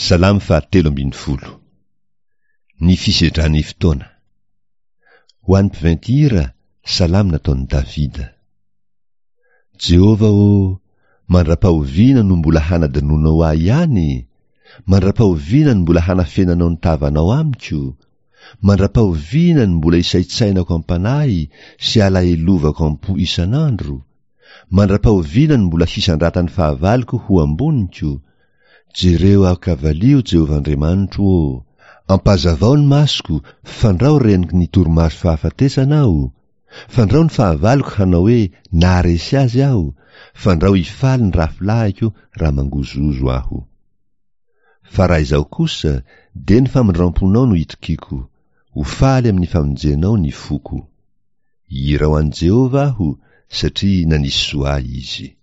Salamo fahatelo ambin'ny folo. Ny fisedran'ny fotoana. Ho an'ny mpiventy hira, salamo nataon'i Davida. Jehovah ô, mandra-pahoviana no mbola hanadinoanao ahy ihany? Mandra-pahoviana no mbola hanafenanao ny tavanao amiko? Mandra-pahoviana no mbola hisaintsainako am-panahy sy alahelovako am-po isan'andro? Mandra-pahoviana no mbola hisandratan'ny fahavaloko ho amboniko? Jereo aho ka valio, Jehovah Andriamanitro ô! Ampazavao ny masoko, fandrao reniky ny torimaso fahafatesana aho, fandrao ny fahavaloko hanao hoe naharesy azy aho, fandrao hifaly ny rafilahiko raha mangozohozo aho. Fa raha izaho kosa, dia ny famindramponao no itokiako, ho faly amin'ny famonjenao ny foko. Hihira ho an'i Jehovah aho, satria nanisy soa ahy izy.